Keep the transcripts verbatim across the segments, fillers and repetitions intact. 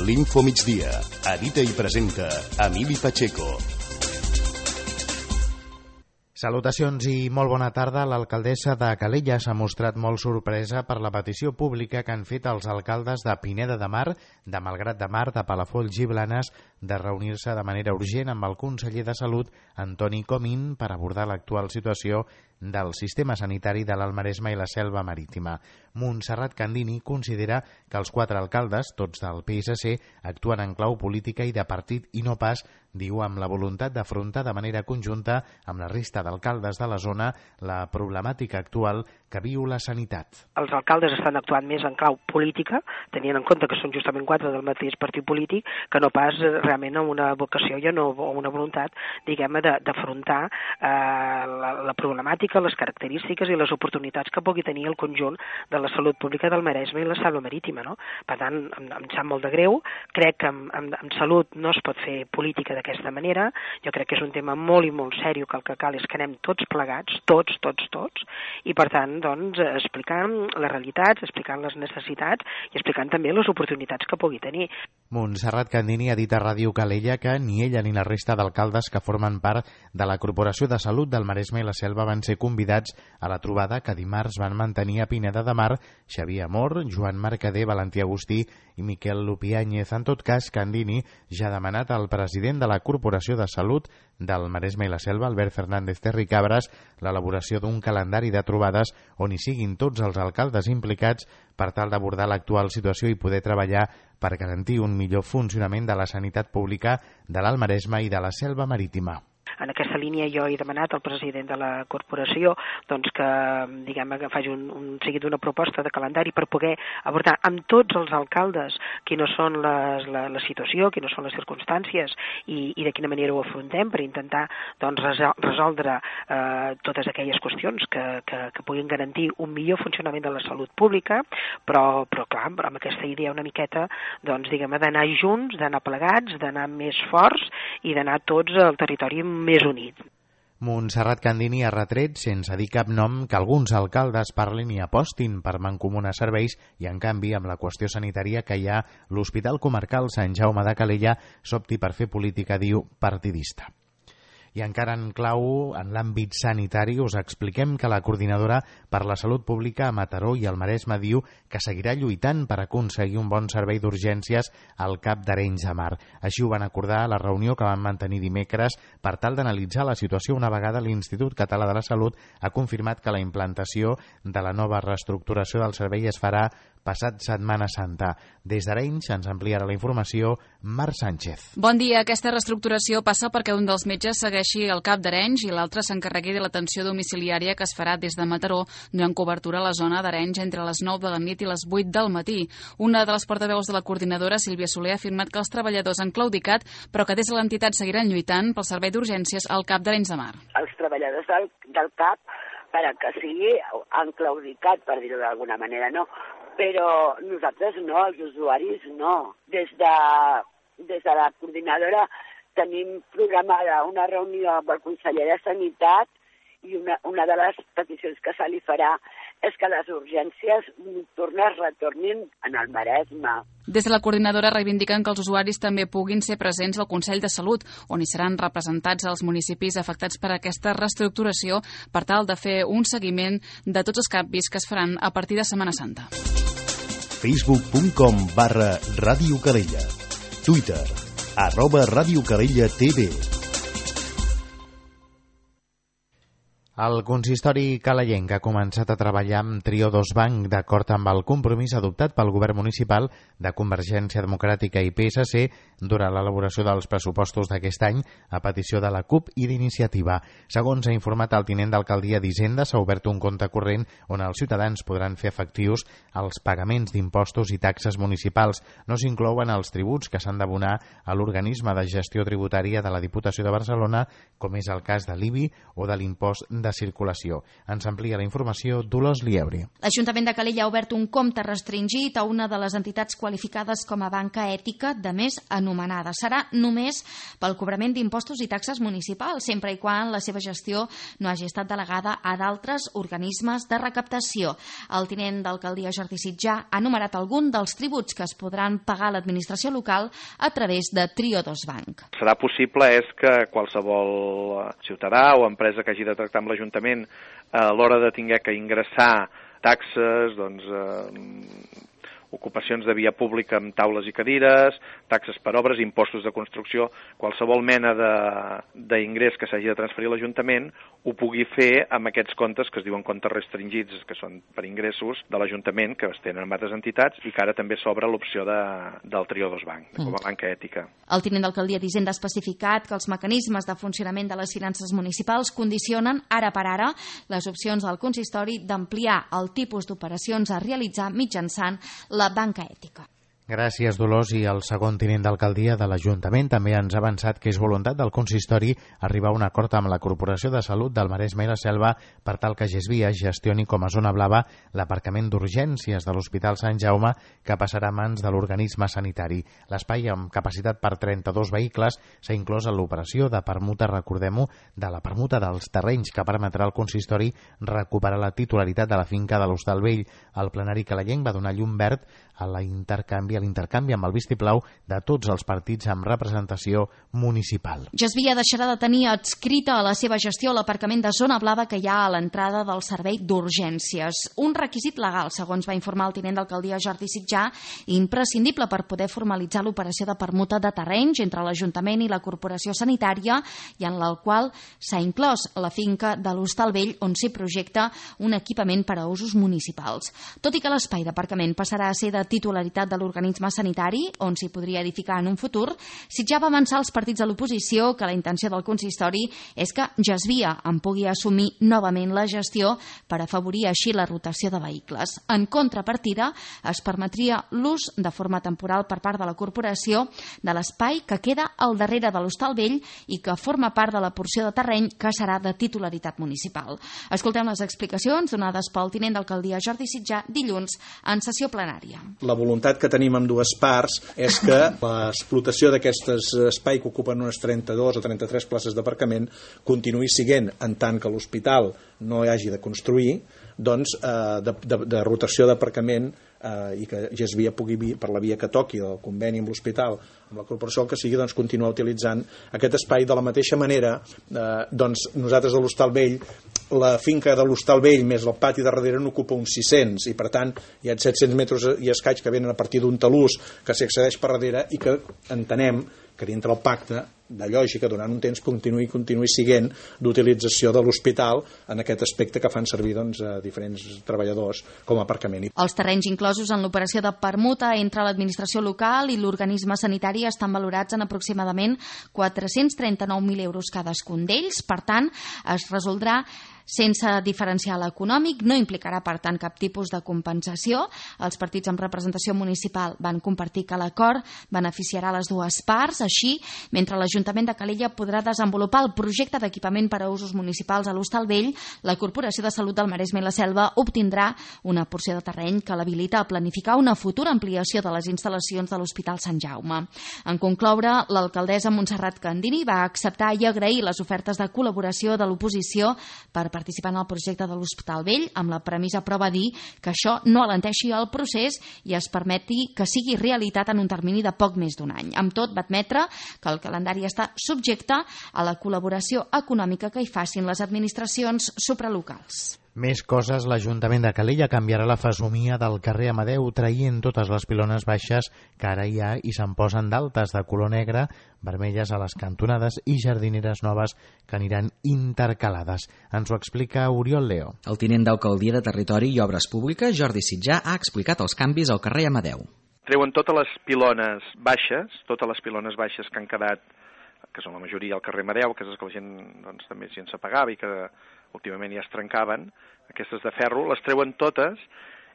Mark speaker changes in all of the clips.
Speaker 1: L'Info Migdia. Edita i presenta Emili Pacheco.
Speaker 2: Salutacions i molt bona tarda. L'alcaldessa de Calella s'ha mostrat molt sorpresa per la petició pública que han fet els alcaldes de Pineda de Mar, de Malgrat de Mar, de Palafolls i Blanes de reunir-se de manera urgent amb el conseller de Salut, Antoni Comín, per abordar l'actual situació del sistema sanitari de l'Alt Maresme i la Selva Marítima. Montserrat Candini considera que els quatre alcaldes, tots del P S C, actuen en clau política i de partit i no pas, diu, amb la voluntat d'afrontar de manera conjunta amb la resta d'alcaldes de la zona la problemàtica actual que viu la sanitat.
Speaker 3: Els alcaldes estan actuant més en clau política, tenint en compte que són justament quatre del mateix partit polític, que no pas realment amb una vocació i no, o una voluntat, diguem-ne, d'afrontar eh, la, la problemàtica, les característiques i les oportunitats que pugui tenir el conjunt de la salut pública del Maresme i la Selva Marítima, no? Per tant, em, em sap molt de greu, crec que en, en, en salut no es pot fer política d'aquesta manera, jo crec que és un tema molt i molt seriós, que el que cal és que anem tots plegats, tots, tots, tots, i per tant, doncs, explicant les realitats, explicant les necessitats i explicant també les oportunitats que pugui tenir.
Speaker 2: Montserrat Candini ha dit a Ràdio Calella que ni ella ni la resta d'alcaldes que formen part de la Corporació de Salut del Maresme i la Selva van ser convidats a la trobada que dimarts van mantenir a Pineda de Mar Xavier Amor, Joan Mercader, Valentí Agustí i Miquel Lupiáñez. En tot cas, Candini ja ha demanat al president de la Corporació de Salut del Maresme i la Selva, Albert Fernández Terricabras, l'elaboració d'un calendari de trobades on hi siguin tots els alcaldes implicats per tal d'abordar l'actual situació i poder treballar per garantir un millor funcionament de la sanitat pública de l'Alt Maresme i de la Selva Marítima.
Speaker 3: En aquesta línia jo he demanat al president de la corporació doncs, que, diguem, que faci un, un seguit d'una proposta de calendari per poder abordar amb tots els alcaldes quines són les, la, la situació, quines són les circumstàncies i, i de quina manera ho afrontem per intentar doncs, resoldre eh, totes aquelles qüestions que, que, que puguin garantir un millor funcionament de la salut pública, però, però clar, amb aquesta idea una miqueta doncs, diguem, d'anar junts, d'anar plegats, d'anar més forts i d'anar tots al territori més unit.
Speaker 2: Montserrat Candini ha retret, sense dir cap nom, que alguns alcaldes parlin i apostin per mancomunar serveis i, en canvi, amb la qüestió sanitària que hi ha, l'Hospital Comarcal Sant Jaume de Calella s'opti per fer política, diu, partidista. I encara en clau, en l'àmbit sanitari, us expliquem que la Coordinadora per la Salut Pública a Mataró i al Maresme diu que seguirà lluitant per aconseguir un bon servei d'urgències al Cap d'Arenys de Mar. Així ho van acordar a la reunió que van mantenir dimecres per tal d'analitzar la situació una vegada l'Institut Català de la Salut ha confirmat que la implantació de la nova reestructuració del servei es farà passat Setmana Santa. Des d'Arenys ens ampliarà la informació Marc Sánchez.
Speaker 4: Bon dia. Aquesta reestructuració passa perquè un dels metges segueixi al Cap d'Arenys i l'altre s'encarregui de l'atenció domiciliària que es farà des de Mataró, donant cobertura a la zona d'Arenys entre les nou de la nit i les vuit del matí. Una de les portaveus de la coordinadora, Sílvia Soler, ha afirmat que els treballadors han claudicat, però que des de l'entitat seguiran lluitant pel servei d'urgències al Cap d'Arenys de Mar.
Speaker 5: Els treballadors del, del CAP, per a que sigui, han claudicat, per dir-ho d'alguna manera, no? Però nosaltres no, els usuaris no. Des de, des de la coordinadora tenim programada una reunió amb el conseller de Sanitat i una, una de les peticions que se li farà és que les urgències nocturnes retornin en el Maresme.
Speaker 4: Des de la coordinadora reivindiquen que els usuaris també puguin ser presents al Consell de Salut, on hi seran representats els municipis afectats per aquesta reestructuració per tal de fer un seguiment de tots els canvis que es faran a partir de Setmana Santa.
Speaker 1: facebook punt com barra Ràdio Calella. Twitter, arroba Ràdio Calella T V.
Speaker 2: El consistori calayenc ha començat a treballar amb Trio dos Banc d'acord amb el compromís adoptat pel govern municipal de Convergència Democràtica i P S C durant l'elaboració dels pressupostos d'aquest any a petició de la CUP i d'Iniciativa. Segons ha informat el tinent d'alcaldia d'Hisenda, s'ha obert un compte corrent on els ciutadans podran fer efectius els pagaments d'impostos i taxes municipals. No s'inclouen els tributs que s'han d'abonar a l'organisme de gestió tributària de la Diputació de Barcelona, com és el cas de l'I B I o de l'impost de circulació. Ens amplia la informació Dolors Lieuri.
Speaker 6: L'Ajuntament de Calella ha obert un compte restringit a una de les entitats qualificades com a banca ètica de més anomenada. Serà només pel cobrament d'impostos i taxes municipals, sempre i quan la seva gestió no hagi estat delegada a d'altres organismes de recaptació. El tinent d'alcaldia Jordi Sitjà ha enumerat algun dels tributs que es podran pagar a l'administració local a través de Triodos Bank.
Speaker 7: Serà possible és que qualsevol ciutadà o empresa que hagi de tractar amb l'Ajuntament a l'hora de tinguer que ingressar taxes, doncs, eh, ocupacions de via pública amb taules i cadires, taxes per obres, impostos de construcció, qualsevol mena d'ingrés que s'hagi de transferir a l'Ajuntament ho pugui fer amb aquests comptes que es diuen comptes restringits, que són per ingressos de l'Ajuntament, que es tenen amb altres entitats i que ara també s'obre l'opció de, del Triodos Bank, com a banca ètica.
Speaker 6: El tinent d'alcaldia d'Hisenda ha especificat que els mecanismes de funcionament de les finances municipals condicionen ara per ara les opcions del consistori d'ampliar el tipus d'operacions a realitzar mitjançant la banca ètica.
Speaker 2: Gràcies, Dolors. I el segon tinent d'alcaldia de l'Ajuntament també ens ha avançat que és voluntat del consistori arribar a un acord amb la Corporació de Salut del Maresme i la Selva per tal que Gesvia gestioni com a zona blava l'aparcament d'urgències de l'Hospital Sant Jaume, que passarà a mans de l'organisme sanitari. L'espai, amb capacitat per trenta-dos vehicles, s'ha inclòs en l'operació de permuta, recordem-ho, de la permuta dels terrenys, que permetrà al consistori recuperar la titularitat de la finca de l'Hostal Vell. El plenari calayenc va donar llum verd a la intercanvi a l'intercanvi amb el vistiplau de tots els partits amb representació municipal.
Speaker 6: Gesvia deixarà de tenir adscrita a la seva gestió l'aparcament de zona blava que hi ha a l'entrada del servei d'urgències. Un requisit legal, segons va informar el tinent d'alcaldia Jordi Sitjà, imprescindible per poder formalitzar l'operació de permuta de terrenys entre l'Ajuntament i la Corporació Sanitària, i en el qual s'ha inclòs la finca de l'Hostal Vell, on s'hi projecta un equipament per a usos municipals. Tot i que l'espai d'aparcament passarà a ser de titularitat de l'organisme sanitari, on s'hi podria edificar en un futur, Sitjà va avançar als partits de l'oposició que la intenció del consistori és que Gesvia en pugui assumir novament la gestió per afavorir així la rotació de vehicles. En contrapartida, es permetria l'ús de forma temporal per part de la corporació de l'espai que queda al darrere de l'Hostal Vell i que forma part de la porció de terreny que serà de titularitat municipal. Escoltem les explicacions donades pel tinent d'alcaldia Jordi Sitjà dilluns en sessió plenària.
Speaker 8: La voluntat que tenim amb dues parts és que l'explotació d'aquest espai que ocupen unes trenta-dues o trenta-tres places d'aparcament continuï siguent, en tant que l'hospital no hi hagi de construir, doncs, eh, de, de, de rotació d'aparcament eh, i que Gesvia pugui, per la via que toqui del conveni amb l'hospital, amb la corporació, el que sigui, doncs, continuar utilitzant aquest espai. De la mateixa manera, eh, doncs, nosaltres a l'Hostal Vell, la finca de l'Hostal Vell més el pati de darrere n'ocupa uns sis-cents i per tant hi ha set-cents metres i escaig que venen a partir d'un talús que s'hi accedeix per darrere i que entenem que dintre el pacte de lògica durant un temps continuï continuï siguent d'utilització de l'hospital en aquest aspecte que fan servir doncs, a diferents treballadors com a aparcament.
Speaker 6: Els terrenys inclosos en l'operació de permuta entre l'administració local i l'organisme sanitari estan valorats en aproximadament quatre-cents trenta-nou mil euros cadascun d'ells. Per tant, es resoldrà sense diferencial econòmic, no implicarà per tant cap tipus de compensació. Els partits amb representació municipal van compartir que l'acord beneficiarà les dues parts. Així, mentre l'Ajuntament de Calella podrà desenvolupar el projecte d'equipament per a usos municipals a l'Hostal Vell, la Corporació de Salut del Maresme i la Selva obtindrà una porció de terreny que l'habilita a planificar una futura ampliació de les instal·lacions de l'Hospital Sant Jaume. En concloure, l'alcaldessa Montserrat Candini va acceptar i agrair les ofertes de col·laboració de l'oposició per participar en el projecte de l'Hospital Vell, amb la premissa, però va dir que això no alenteixi el procés i es permeti que sigui realitat en un termini de poc més d'un any. Amb tot, va admetre que el calendari està subjecte a la col·laboració econòmica que hi facin les administracions supralocals.
Speaker 2: Més coses, l'Ajuntament de Calella canviarà la fesomia del carrer Amadeu, traient totes les pilones baixes que ara hi ha i se'n posen d'altes de color negre, vermelles a les cantonades i jardineres noves que aniran intercalades. Ens ho explica Oriol Leo.
Speaker 9: El tinent d'Alcaldia de Territori i Obres Públiques, Jordi Sitjà, ha explicat els canvis al carrer Amadeu.
Speaker 7: Treuen totes les pilones baixes, totes les pilones baixes que han quedat, que són la majoria al carrer Amadeu, que és que la gent doncs, també gent s'apagava i que últimament ja es trencaven, aquestes de ferro, les treuen totes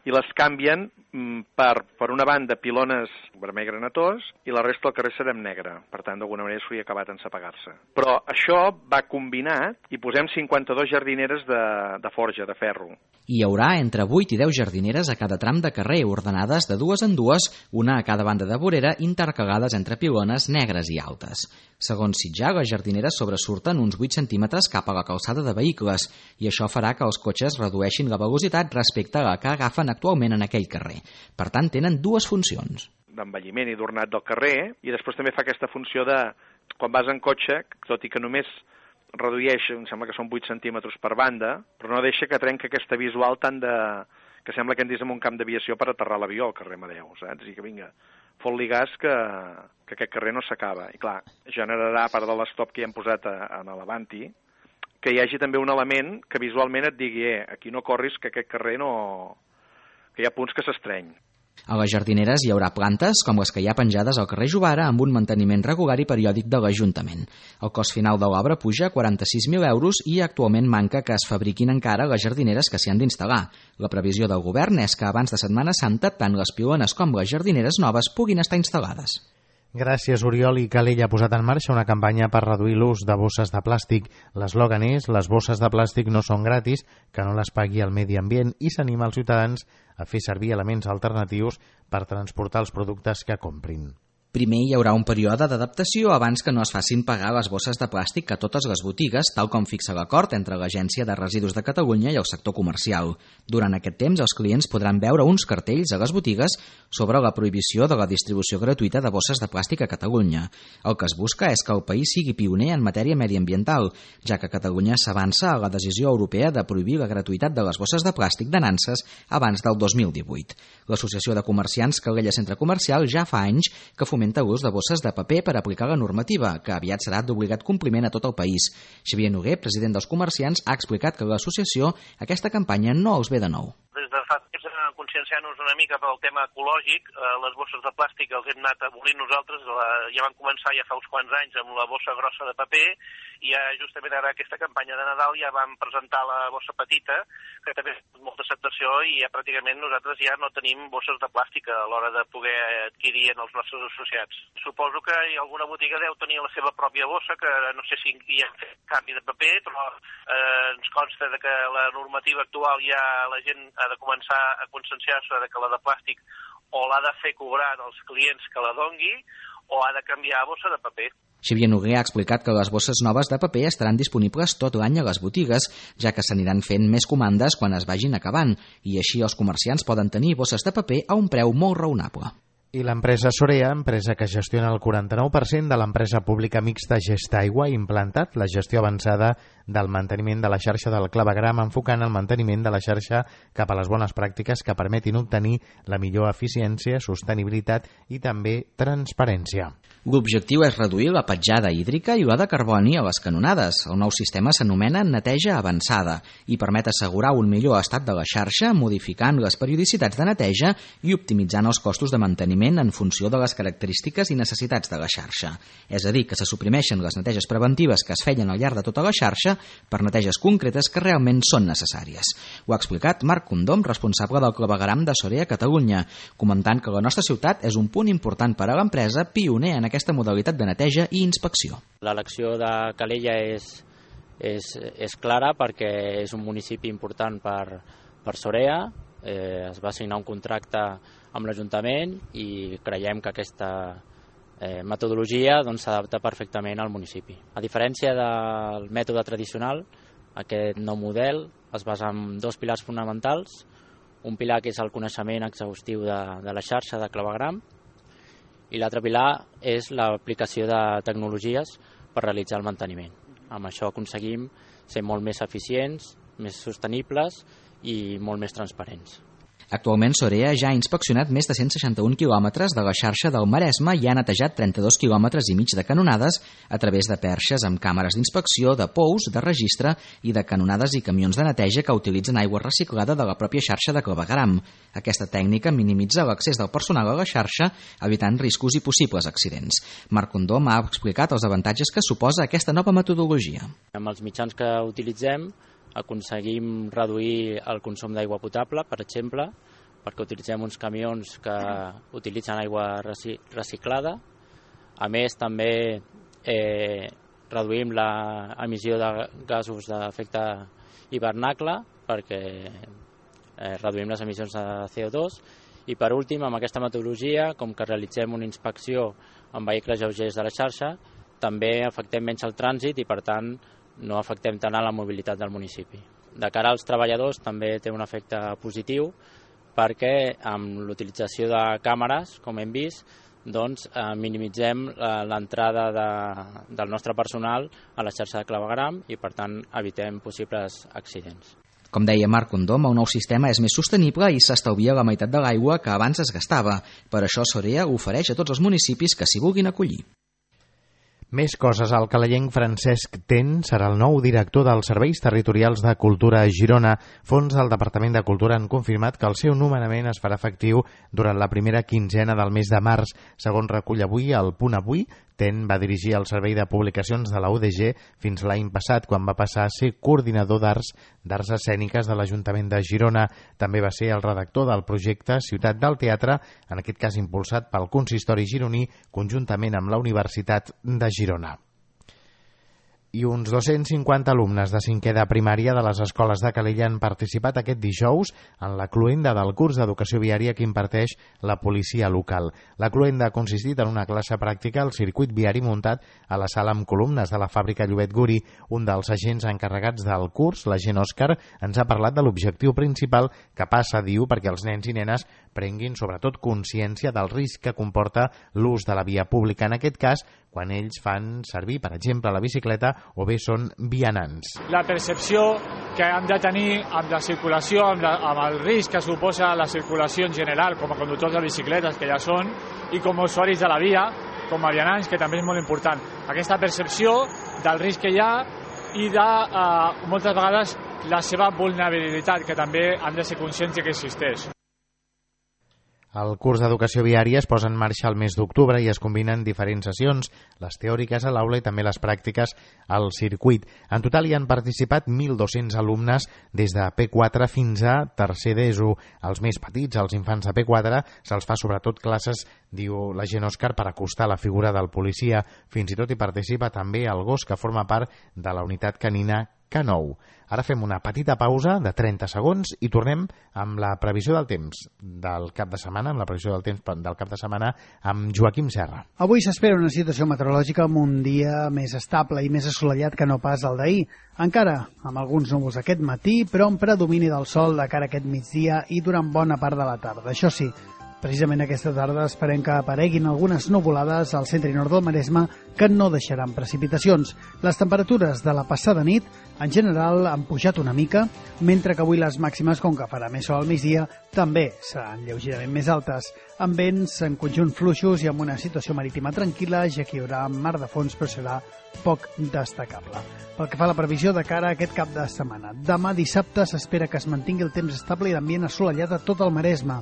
Speaker 7: i les canvien per, per una banda, pilones vermell granatós i la resta del carrer serà en negre. Per tant, d'alguna manera s'hauria acabat encepegar-se. Però això va combinat i posem cinquanta-dues jardineres de, de forja, de ferro.
Speaker 9: Hi haurà entre vuit i deu jardineres a cada tram de carrer, ordenades de dues en dues, una a cada banda de vorera, intercalades entre pilones negres i altes. Segons Sitjar, les jardineres sobresurten uns vuit centímetres cap a la calçada de vehicles i això farà que els cotxes redueixin la velocitat respecte a la que agafen actualment en aquell carrer. Per tant, tenen dues funcions.
Speaker 7: D'envelliment i d'ornat del carrer, i després també fa aquesta funció de, quan vas en cotxe, tot i que només redueix, em sembla que són vuit centímetres per banda, però no deixa que trenca aquesta visual tan de... que sembla que endis en un camp d'aviació per aterrar l'avió al carrer Amadeu, saps? I que vinga, fot-li gas que, que aquest carrer no s'acaba. I clar, generarà, a part de l'estop que hi hem posat a, a l'Avanti, que hi hagi també un element que visualment et digui, eh, aquí no corris, que aquest carrer no... que hi ha punts que s'estreny.
Speaker 9: A les jardineres hi haurà plantes com les que hi ha penjades al carrer Jovara amb un manteniment regular i periòdic de l'Ajuntament. El cost final de l'obra puja a quaranta-sis mil euros i actualment manca que es fabriquin encara les jardineres que s'hi han d'instal·lar. La previsió del govern és que abans de Setmana Santa tant les pilones com les jardineres noves puguin estar instal·lades.
Speaker 2: Gràcies, Oriol. I Calella ha posat en marxa una campanya per reduir l'ús de bosses de plàstic. L'eslògan és «Les bosses de plàstic no són gratis, que no les pagui el medi ambient» i s'anima els ciutadans a fer servir elements alternatius per transportar els productes que comprin.
Speaker 9: Primer hi haurà un període d'adaptació abans que no es facin pagar les bosses de plàstic a totes les botigues, tal com fixa l'acord entre l'Agència de Residus de Catalunya i el sector comercial. Durant aquest temps, els clients podran veure uns cartells a les botigues sobre la prohibició de la distribució gratuïta de bosses de plàstic a Catalunya. El que es busca és que el país sigui pioner en matèria mediambiental, ja que Catalunya s'avança a la decisió europea de prohibir la gratuïtat de les bosses de plàstic de nanses abans del dos mil divuit. L'Associació de Comerciants Calella Centre Comercial ja fa anys que fomenta l'ús de bosses de paper per aplicar la normativa, que aviat serà d'obligat compliment a tot el país. Xavier Noguer, president dels comerciants, ha explicat que l'associació aquesta campanya no els ve de nou.
Speaker 10: Des de fa temps conscienciant-nos una mica pel tema ecològic, eh, les bosses de plàstic els hem anat abolint nosaltres, la, ja van començar ja fa uns quants anys amb la bossa grossa de paper i ja justament ara aquesta campanya de Nadal ja vam presentar la bossa petita, que també ha tingut molta acceptació i ja pràcticament nosaltres ja no tenim bosses de plàstic a l'hora de poder adquirir en els nostres associats. Suposo que alguna botiga deu tenir la seva pròpia bossa, que no sé si hi ha fet canvi de paper, però eh, ens consta de que la normativa actual ja la gent ha de començar a conscienciar-se de que la de plàstic o l'ha de fer cobrar als clients que la dongui o ha de canviar a bossa de paper.
Speaker 9: Xavier Noguer ha explicat que les bosses noves de paper estaran disponibles tot l'any a les botigues, ja que s'aniran fent més comandes quan es vagin acabant, i així els comerciants poden tenir bosses de paper a un preu molt raonable.
Speaker 2: I l'empresa Sorea, empresa que gestiona el quaranta-nou per cent de l'empresa pública mixta Gestaigua, ha implantat la gestió avançada del manteniment de la xarxa del clavegram, enfocant el manteniment de la xarxa cap a les bones pràctiques que permetin obtenir la millor eficiència, sostenibilitat i també transparència.
Speaker 9: L'objectiu és reduir la petjada hídrica i la de carboni a les canonades. El nou sistema s'anomena neteja avançada i permet assegurar un millor estat de la xarxa, modificant les periodicitats de neteja i optimitzant els costos de manteniment en funció de les característiques i necessitats de la xarxa. És a dir, que se suprimeixen les neteges preventives que es feien al llarg de tota la xarxa per neteges concretes que realment són necessàries. Ho ha explicat Marc Condom, responsable del clavegram de Sorea Catalunya, comentant que la nostra ciutat és un punt important per a l'empresa, pioner en aquesta modalitat de neteja i inspecció.
Speaker 11: L'elecció de Calella és, és, és clara perquè és un municipi important per, per Sorea. Eh, es va signar un contracte amb l'Ajuntament i creiem que aquesta eh, metodologia doncs, s'adapta perfectament al municipi. A diferència del mètode tradicional, aquest nou model es basa en dos pilars fonamentals. Un pilar que és el coneixement exhaustiu de, de la xarxa de clavegram i l'altre pilar és l'aplicació de tecnologies per realitzar el manteniment. Amb això aconseguim ser molt més eficients, més sostenibles i molt més transparents.
Speaker 9: Actualment, Sorea ja ha inspeccionat més de cent seixanta-un quilòmetres de la xarxa del Maresme i ha netejat trenta-dos quilòmetres i mig de canonades a través de perxes amb càmeres d'inspecció, de pous, de registre i de canonades i camions de neteja que utilitzen aigua reciclada de la pròpia xarxa de clavegram. Aquesta tècnica minimitza l'accés del personal a la xarxa, evitant riscos i possibles accidents. Marc Condom ha explicat els avantatges que suposa aquesta nova metodologia.
Speaker 11: Amb els mitjans que utilitzem aconseguim reduir el consum d'aigua potable, per exemple, perquè utilitzem uns camions que utilitzen aigua reciclada. A més, també eh, reduïm l'emissió de gasos d'efecte hivernacle perquè eh, reduïm les emissions de C O dos. I per últim, amb aquesta metodologia, com que realitzem una inspecció amb vehicles lleugers de la xarxa, també afectem menys el trànsit i, per tant, no afectem tant a la mobilitat del municipi. De cara als treballadors també té un efecte positiu perquè amb l'utilització de càmeres, com hem vist, doncs, eh, minimitzem l'entrada de, del nostre personal a la xarxa de clavegueram i, per tant, evitem possibles accidents.
Speaker 9: Com deia Marc Condom, el nou sistema és més sostenible i s'estalvia la meitat de l'aigua que abans es gastava. Per això Sorea ofereix a tots els municipis que s'hi vulguin acollir.
Speaker 2: Més coses. El calellenc Francesc Ten serà el nou director dels Serveis Territorials de Cultura a Girona. Fons del Departament de Cultura han confirmat que el seu nomenament es farà efectiu durant la primera quinzena del mes de març. Segons recull avui el Punt Avui, Ten va dirigir el Servei de Publicacions de la U D G fins l'any passat, quan va passar a ser coordinador d'arts d'arts escèniques de l'Ajuntament de Girona. També va ser el redactor del projecte Ciutat del Teatre, en aquest cas impulsat pel Consistori gironí, conjuntament amb la Universitat de Girona. I uns dos-cents cinquanta alumnes de cinquè de primària de les escoles de Calella han participat aquest dijous en la cloenda del curs d'educació viària que imparteix la policia local. La cloenda ha consistit en una classe pràctica al circuit viari muntat a la sala amb columnes de la fàbrica Llobet Guri. Un dels agents encarregats del curs, l'agent Òscar, ens ha parlat de l'objectiu principal que passa, diu, perquè els nens i nenes prenguin sobretot consciència del risc que comporta l'ús de la via pública, en aquest cas, quan ells fan servir, per exemple, la bicicleta o bé són vianants.
Speaker 12: La percepció que han de tenir amb la circulació, amb, la, amb el risc que suposa la circulació en general, com a conductors de bicicletes, que ja són, i com a usuaris de la via, com a vianants, que també és molt important. Aquesta percepció del risc que hi ha i de, eh, moltes vegades, la seva vulnerabilitat, que també han de ser conscients que existeix.
Speaker 2: El curs d'educació viària es posa en marxa el mes d'octubre i es combinen diferents sessions, les teòriques a l'aula i també les pràctiques al circuit. En total hi han participat mil dos-cents alumnes des de P quatre fins a tercer d'ESO. Els més petits, els infants de P quatre, se'ls fa sobretot classes, diu l'agent Òscar, per acostar la figura del policia. Fins i tot hi participa també el gos que forma part de la unitat canina K nou. Ara fem una petita pausa de trenta segons i tornem amb la previsió del temps del cap de setmana, amb la previsió del temps del cap de setmana amb Joaquim Serra.
Speaker 13: Avui s'espera una situació meteorològica amb un dia més estable i més assolellat que no pas el d'ahir. Encara amb alguns núvols aquest matí, però amb predomini del sol de cara a aquest migdia i durant bona part de la tarda. Això sí, precisament aquesta tarda esperem que apareguin algunes nuvolades al centre i nord del Maresme que no deixaran precipitacions. Les temperatures de la passada nit en general han pujat una mica, mentre que avui les màximes, com que farà més sol al migdia, també seran lleugerament més altes, amb vents en conjunt fluixos i amb una situació marítima tranquil·la, ja que hi haurà mar de fons, però serà poc destacable. Pel que fa a la previsió de cara a aquest cap de setmana, demà dissabte s'espera que es mantingui el temps estable i l'ambient assolellat a tot el Maresme,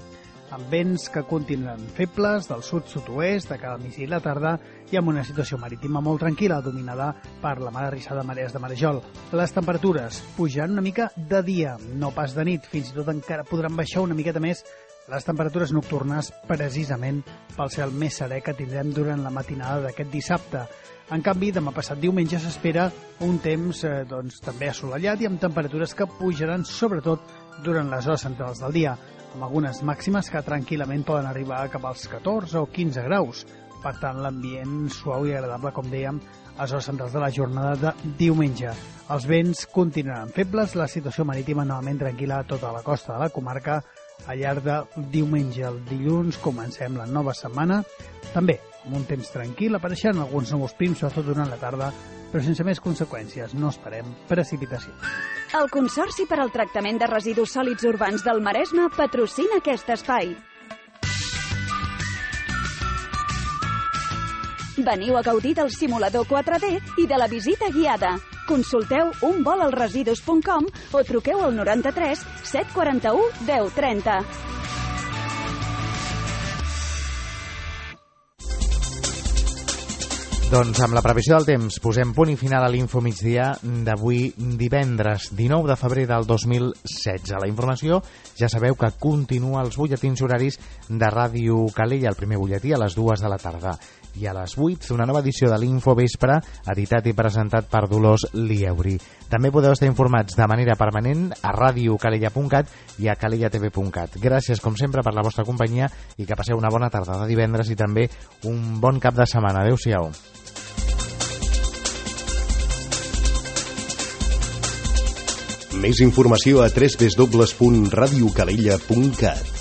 Speaker 13: amb vents que continuaran febles del sud-sud-oest de cara al migdia i la tarda i amb una situació marítima molt tranquil·la, dominada per la mar arrissada de marees de marejol. Les temperatures pujaran una mica de dia, no pas de nit, fins i tot encara podran baixar una miqueta més les temperatures nocturnes, precisament pel cel més serè que tindrem durant la matinada d'aquest dissabte. En canvi, demà passat diumenge s'espera un temps eh, doncs, també assolellat i amb temperatures que pujaran sobretot durant les hores centrals del dia, amb algunes màximes que tranquil·lament poden arribar cap als catorze o quinze graus. Per tant, l'ambient suau i agradable, com dèiem, a les hores centrals de la jornada de diumenge. Els vents continuaran febles, la situació marítima novament tranquil·la a tota la costa de la comarca. Al llarg de diumenge al dilluns comencem la nova setmana, també amb un temps tranquil, apareixen alguns núvols prims, sobretot durant la tarda, però sense més conseqüències, no esperem precipitació.
Speaker 14: El Consorci per al Tractament de Residus Sòlids Urbans del Maresme patrocina aquest espai. Veniu a gaudir del simulador quatre D i de la visita guiada. Consulteu un vol als residus punt com o truqueu al noranta-tres set quaranta-u deu trenta.
Speaker 2: Doncs amb la previsió del temps posem punt i final a l'Info Migdia d'avui divendres dinou de febrer del dos mil setze. La informació ja sabeu que continua als butlletins horaris de Ràdio Calella, el primer butlletí a les dues de la tarda. I a les vuit, una nova edició de l'Info Vespre, editat i presentat per Dolors Lieuri. També podeu estar informats de manera permanent a radio calella punt cat i a calella t v punt cat. Gràcies, com sempre, per la vostra companyia i que passeu una bona tarda de divendres i també un bon cap de setmana. Adéu-siau.
Speaker 1: Més informació a w w w punt radio calella punt cat.